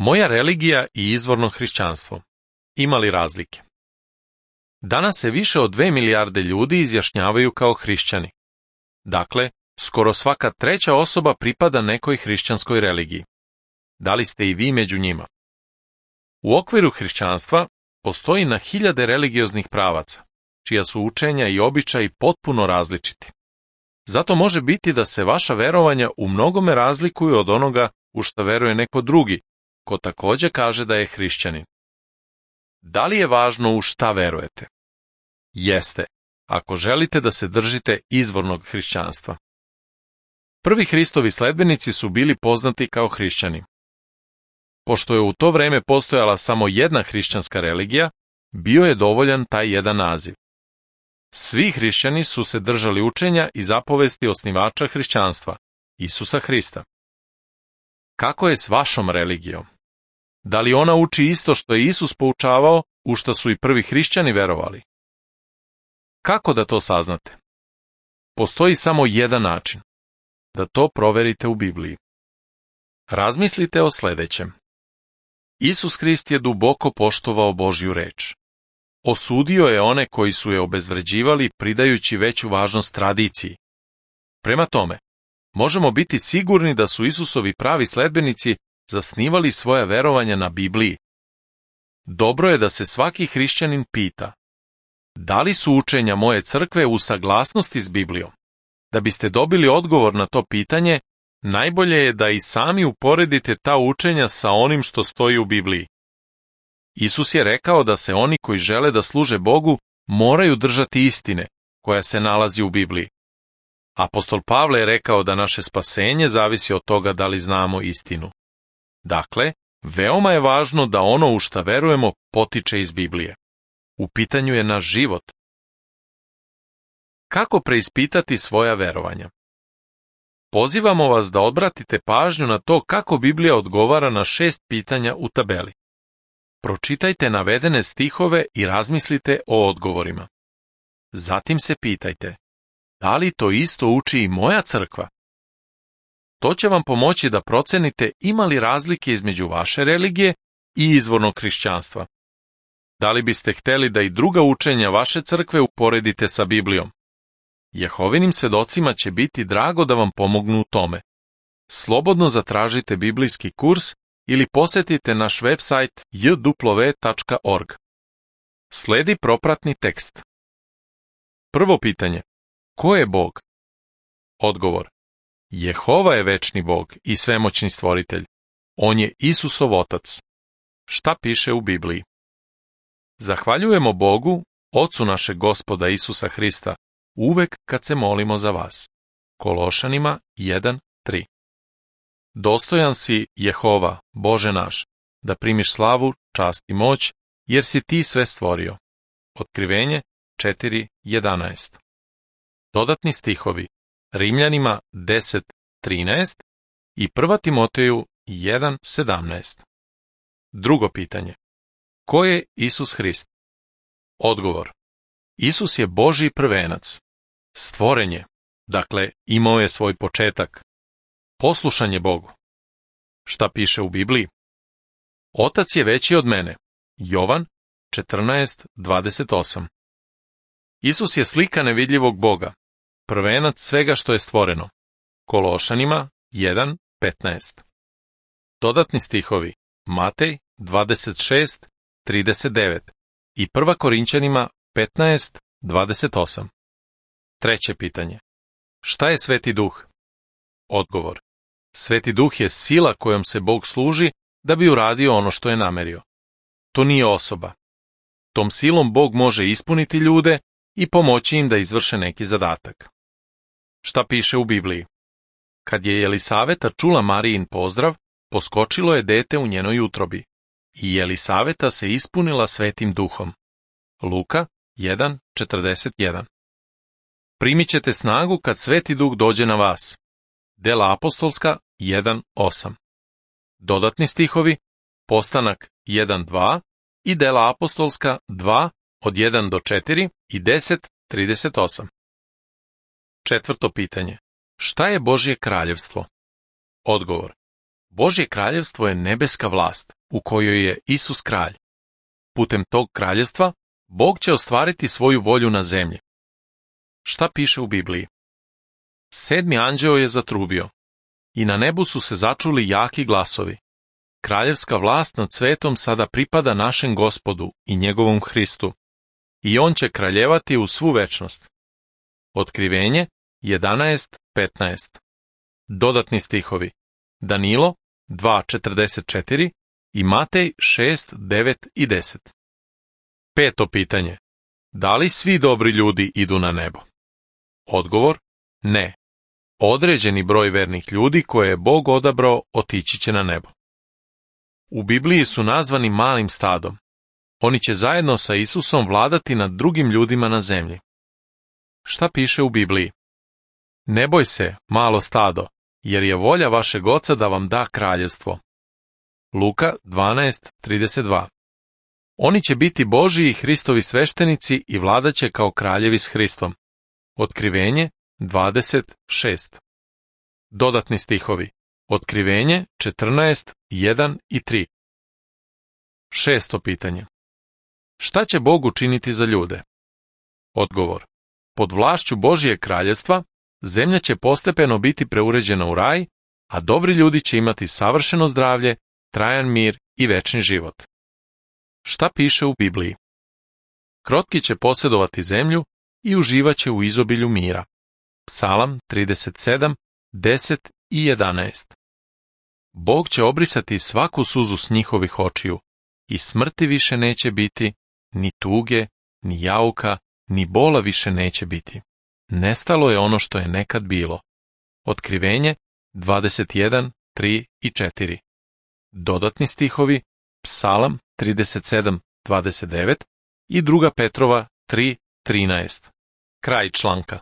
Moja religija i izvorno hrišćanstvo. Ima li razlike? Danas se više od 2 milijarde ljudi izjašnjavaju kao hrišćani. Dakle, skoro svaka treća osoba pripada nekoj hrišćanskoj religiji. Da li ste i vi među njima? U okviru hrišćanstva postoji na hiljade religioznih pravaca, čija su učenja i običaji potpuno različiti. Zato može biti da se vaša verovanja u mnogome razlikuju od onoga u šta veruje neko drugi, ko takođe kaže da je hrišćanin. Da li je važno u šta verujete? Jeste, ako želite da se držite izvornog hrišćanstva. Prvi Hristovi sledbenici su bili poznati kao hrišćani. Pošto je u to vreme postojala samo jedna hrišćanska religija, bio je dovoljan taj jedan naziv. Svi hrišćani su se držali učenja i zapovesti osnivača hrišćanstva, Isusa Hrista. Kako je s vašom religijom? Da li ona uči isto što je Isus poučavao, u šta su i prvi hrišćani verovali? Kako da to saznate? Postoji samo jedan način, da to proverite u Bibliji. Razmislite o sledećem. Isus Hrist je duboko poštovao Božju reč. Osudio je one koji su je obezvređivali pridajući veću važnost tradiciji. Prema tome, možemo biti sigurni da su Isusovi pravi sledbenici zasnivali svoja verovanja na Bibliji. Dobro je da se svaki hrišćanin pita, da li su učenja moje crkve u saglasnosti s Biblijom? Da biste dobili odgovor na to pitanje, najbolje je da i sami uporedite ta učenja sa onim što stoji u Bibliji. Isus je rekao da se oni koji žele da služe Bogu moraju držati istine koja se nalazi u Bibliji. Apostol Pavle je rekao da naše spasenje zavisi od toga da li znamo istinu. Dakle, veoma je važno da ono u šta verujemo potiče iz Biblije. U pitanju je naš život. Kako preispitati svoja verovanja? Pozivamo vas da obratite pažnju na to kako Biblija odgovara na 6 pitanja u tabeli. Pročitajte navedene stihove i razmislite o odgovorima. Zatim se pitajte, da li to isto uči i moja crkva? To će vam pomoći da procenite ima li razlike između vaše religije i izvornog hrišćanstva. Da li biste hteli da i druga učenja vaše crkve uporedite sa Biblijom? Jehovinim svedocima će biti drago da vam pomognu u tome. Slobodno zatražite biblijski kurs ili posetite naš website jw.org. Sledi propratni tekst. Prvo pitanje. Ko je Bog? Odgovor. Jehova je večni Bog i svemoćni stvoritelj. On je Isusov otac. Šta piše u Bibliji? Zahvaljujemo Bogu, Ocu našeg Gospoda Isusa Hrista, uvek kad se molimo za vas. Kološanima 1:3. Dostojan si, Jehova, Bože naš, da primiš slavu, čast i moć, jer si ti sve stvorio. Otkrivenje 4:11. Dodatni stihovi Rimljanima 10:13 i 1. Timoteju 1:17. Drugo pitanje. Ko je Isus Hrist? Odgovor. Isus je Božji prvenac. Stvoren je, dakle imao je svoj početak. Poslušan je Bogu. Šta piše u Bibliji? Otac je veći od mene. Jovan 14:28. Isus je slika nevidljivog Boga, prvenac svega što je stvoreno. Kološanima 1:15. Dodatni stihovi Matej 26:39 i 1. Korinćanima 15:28. Treće pitanje. Šta je Sveti Duh? Odgovor. Sveti Duh je sila kojom se Bog služi da bi uradio ono što je namerio. To nije osoba. Tom silom Bog može ispuniti ljude i pomoći im da izvrše neki zadatak. Šta piše u Bibliji? Kad je Jelisaveta čula Marijin pozdrav, poskočilo je dete u njenoj utrobi i Jelisaveta se ispunila Svetim Duhom. Luka 1:41. Primit ćete snagu kad Sveti Duh dođe na vas. Dela apostolska 1:8. Dodatni stihovi Postanak 1:2 i Dela apostolska 2:1-4 i 10:38. Četvrto pitanje. Šta je Božje kraljevstvo? Odgovor. Božje kraljevstvo je nebeska vlast u kojoj je Isus kralj. Putem tog kraljevstva Bog će ostvariti svoju volju na zemlji. Šta piše u Bibliji? 7. anđeo je zatrubio i na nebu su se začuli jaki glasovi. Kraljevska vlast nad svetom sada pripada našem Gospodu i njegovom Hristu i on će kraljevati u svu večnost. Otkrivenje 11:15. Dodatni stihovi Danilo 2:44 i Matej 6:9 i 10. 5. pitanje. Da li svi dobri ljudi idu na nebo? Odgovor: ne. Određeni broj vernih ljudi koje je Bog odabrao otići će na nebo. U Bibliji su nazvani malim stadom. Oni će zajedno sa Isusom vladati nad drugim ljudima na zemlji. Šta piše u Bibliji? Ne boj se, malo stado, jer je volja vašeg Oca da vam da kraljevstvo. Luka 12:32. Oni će biti Božji i Hristovi sveštenici i vladaće kao kraljevi s Hristom. Otkrivenje 20:6. Dodatni stihovi Otkrivenje 14:1 i 3. 6. pitanje. Šta će Bog učiniti za ljude? Odgovor: pod vlašću Božjeg kraljevstva zemlja će postepeno biti preuređena u raj, a dobri ljudi će imati savršeno zdravlje, trajan mir i večni život. Šta piše u Bibliji? Krotki će posjedovati zemlju i uživaće u izobilju mira. Psalam 37:10 i 11. Bog će obrisati svaku suzu s njihovih očiju i smrti više neće biti, ni tuge, ni jauka, ni bola više neće biti. Nestalo je ono što je nekad bilo. Otkrivenje 21:3 i 4. Dodatni stihovi Psalam 37:29 i 2. Petrova 3:13. Kraj članka.